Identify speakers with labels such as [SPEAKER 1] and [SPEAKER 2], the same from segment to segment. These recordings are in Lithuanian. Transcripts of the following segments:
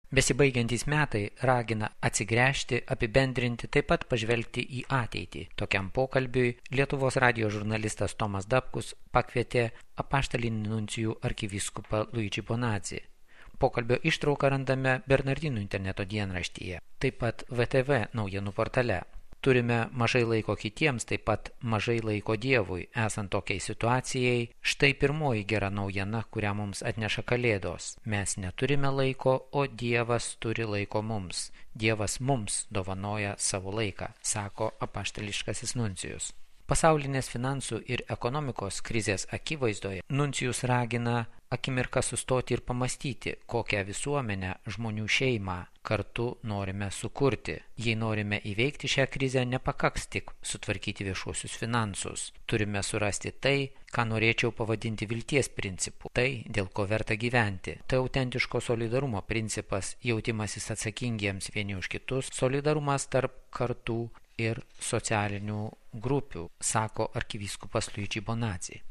[SPEAKER 1] Besibaigiantys metai ragina atsigręžti, apibendrinti, taip pat pažvelgti į ateitį. Tokiam pokalbiui Lietuvos radijo žurnalistas Tomas Dapkus pakvietė apaštalinį nuncijų arkivyskupą Luigi Bonazzi. Pokalbio ištrauką randame Bernardinų interneto dienraštyje, taip pat VTV naujienų portale. Turime mažai laiko kitiems, taip pat mažai laiko Dievui. Esant tokiai situacijai, štai pirmoji gera naujiena, kurią mums atneša Kalėdos. Mes neturime laiko, o Dievas turi laiko mums. Dievas mums dovanoja savo laiką, sako apaštališkasis nuncijus. Pasaulinės finansų ir ekonomikos krizės akivaizdoje nuncijus ragina akimirką sustoti ir pamastyti, kokią visuomenę, žmonių šeimą kartu norime sukurti. Jei norime įveikti šią krizę, nepakaks tik sutvarkyti viešuosius finansus. Turime surasti tai, ką norėčiau pavadinti vilties principu. Tai, dėl ko verta gyventi. Tai autentiško solidarumo principas, jautimasis atsakingiems vieni už kitus, solidarumas tarp kartų ir socialinių grupių, sako arkivyskupas Luigi Bonazzi.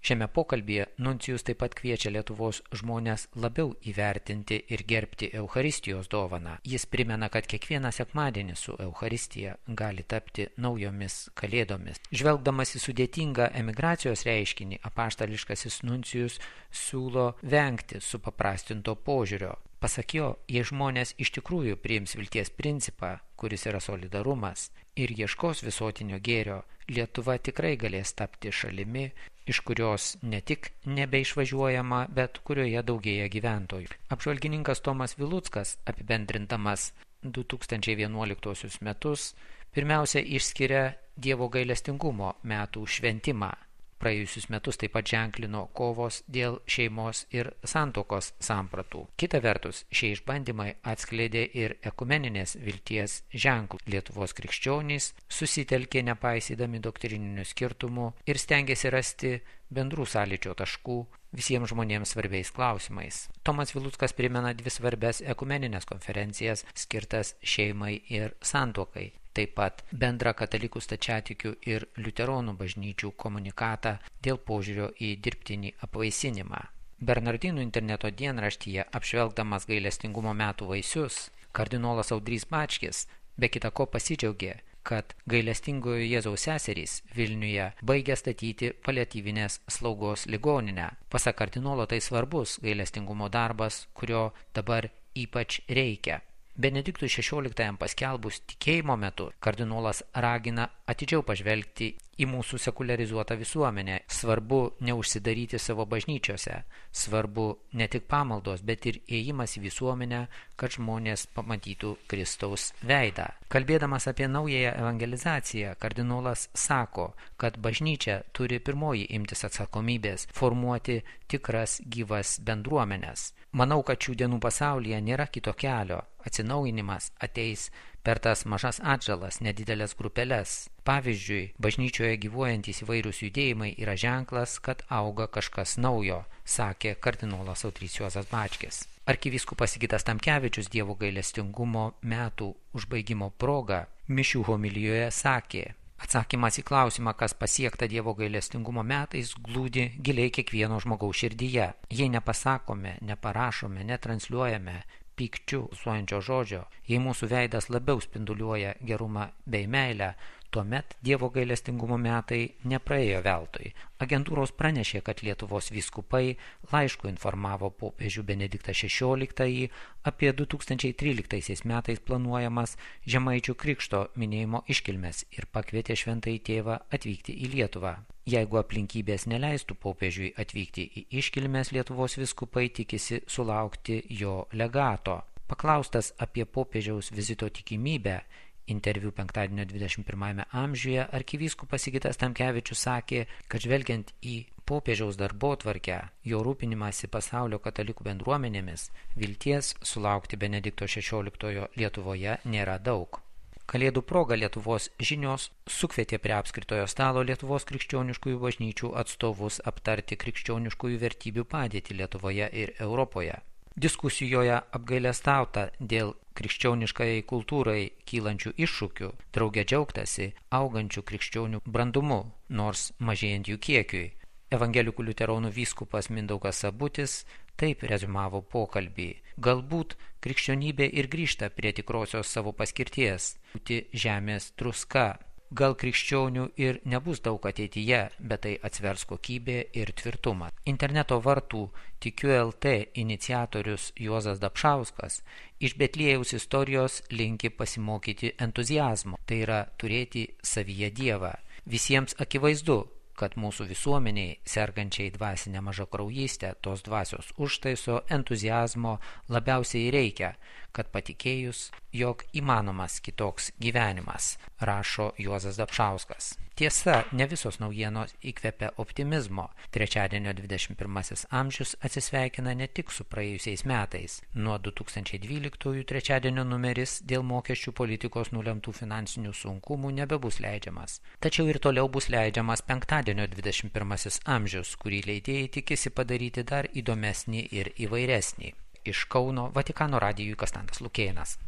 [SPEAKER 1] Šiame pokalbyje nuncijus taip pat kviečia Lietuvos žmonės labiau įvertinti ir gerbti Eucharistijos dovaną. Jis primena, kad kiekvieną sekmadienį su Eucharistija gali tapti naujomis kalėdomis. Žvelgdamas į sudėtingą emigracijos reiškinį, apaštališkasis nuncijus siūlo vengti supaprastinto požiūrio. Pasak jo, jei žmonės iš tikrųjų priims vilties principą, kuris yra solidarumas, ir ieškos visuotinio gėrio, Lietuva tikrai galės tapti šalimi, iš kurios ne tik nebeišvažiuojama, bet kurioje daugėja gyventojų. Apžvalgininkas Tomas Viluckas, apibendrindamas 2011 metus, pirmiausia išskiria Dievo gailestingumo metų šventimą. Praėjusius metus taip pat ženklino kovos dėl šeimos ir santuokos sampratų. Kita vertus, šie išbandymai atskleidė ir ekumeninės vilties ženklų. Lietuvos krikščionys susitelkė nepaisydami doktrininių skirtumų ir stengėsi rasti bendrų sąlyčio taškų visiems žmonėms svarbiais klausimais. Tomas Viluckas primena dvi svarbias ekumeninės konferencijas skirtas šeimai ir santuokai. Taip pat bendrą katalikų stačiatikių ir liuteronų bažnyčių komunikatą dėl požiūrio į dirbtinį apvaisinimą. Bernardinų interneto dienraštyje apžvelgdamas gailestingumo metų vaisius, kardinolas Audrys Bačkis be kita ko pasidžiaugė, kad gailestingojo Jėzaus seserys Vilniuje baigia statyti paliatyvinės slaugos ligoninę. Pasak kardinolo tai svarbus gailestingumo darbas, kurio dabar ypač reikia. Benediktui XVI paskelbus tikėjimo metu, kardinolas ragina atidžiau pažvelgti į mūsų sekularizuotą visuomenę. Svarbu neužsidaryti savo bažnyčiose, svarbu ne tik pamaldos, bet ir ėjimas į visuomenę, kad žmonės pamatytų Kristaus veidą. Kalbėdamas apie naująją evangelizaciją, kardinolas sako, kad bažnyčia turi pirmoji imtis atsakomybės formuoti tikras gyvas bendruomenes. Manau, kad šių dienų pasaulyje nėra kito kelio. Atsinaujinimas ateis per tas mažas atžalas, nedidelės grupelės. Pavyzdžiui, bažnyčioje gyvuojantys įvairūs judėjimai yra ženklas, kad auga kažkas naujo, sakė kardinolas Audrys Juozas Bačkis. Arkivyskupas Sigitas Tamkevičius Dievo gailestingumo metų užbaigimo proga mišių homilijoje sakė: atsakymas į klausimą, kas pasiekta Dievo gailestingumo metais, glūdi giliai kiekvieno žmogaus širdyje. Jei nepasakome, neparašome, netransliuojame pykčių suojančio žodžio, jei mūsų veidas labiau spinduliuoja gerumą bei meilę, tuomet Dievo gailestingumo metai nepraėjo veltui. Agentūros pranešė, kad Lietuvos vyskupai laišku informavo popiežių Benediktą XVI apie 2013 metais planuojamas Žemaičių krikšto minėjimo iškilmes ir pakvietė šventąjį tėvą atvykti į Lietuvą. Jeigu aplinkybės neleistų popiežiui atvykti į iškilmes, Lietuvos vyskupai tikisi sulaukti jo legato. Paklaustas apie popiežiaus vizito tikimybę, interviu penktadienio 21 amžiuje, arkivyskupas Sigitas Tamkevičius sakė, kad žvelgiant į popiežiaus darbotvarkę, jo rūpinimąsi pasaulio katalikų bendruomenėmis, vilties sulaukti Benedikto XVI Lietuvoje nėra daug. Kalėdų proga Lietuvos žinios sukvietė prie apskritojo stalo Lietuvos krikščioniškųjų bažnyčių atstovus aptarti krikščioniškųjų vertybių padėtį Lietuvoje ir Europoje. Diskusijoje apgailestauta dėl krikščioniškai kultūrai kylančių iššūkių, drauge džiaugtasi augančių krikščionių brandumu, nors mažėjant jų kiekiui. Evangelikų liuteronų vyskupas Mindaugas Sabutis taip rezumavo pokalbį. Galbūt krikščionybė ir grįžta prie tikrosios savo paskirties – būti žemės druska. Gal krikščionių ir nebus daug ateityje, bet tai atsvers kokybė ir tvirtumą. Interneto vartų Tikiu LT iniciatorius Juozas Dapšauskas iš Betliejaus istorijos linki pasimokyti entuziazmo, tai yra turėti savyje Dievą. Visiems akivaizdu, kad mūsų visuomeniai, sergančiai dvasinę mažakraujystę, tos dvasios užtaiso entuziazmo labiausiai reikia, kad patikėjus, jog įmanomas kitoks gyvenimas, rašo Juozas Dapšauskas. Tiesa, ne visos naujienos įkvepia optimizmo. Trečiadienio 21 amžius atsisveikina ne tik su praėjusiais metais. Nuo 2012 trečiadienio numeris dėl mokesčių politikos nulemtų finansinių sunkumų nebebus leidžiamas. Tačiau ir toliau bus leidžiamas penktadienio 21 amžius, kurį leidėjai tikisi padaryti dar įdomesnį ir įvairesnį. Iš Kauno Vatikano radijui Konstantas Lukėnas.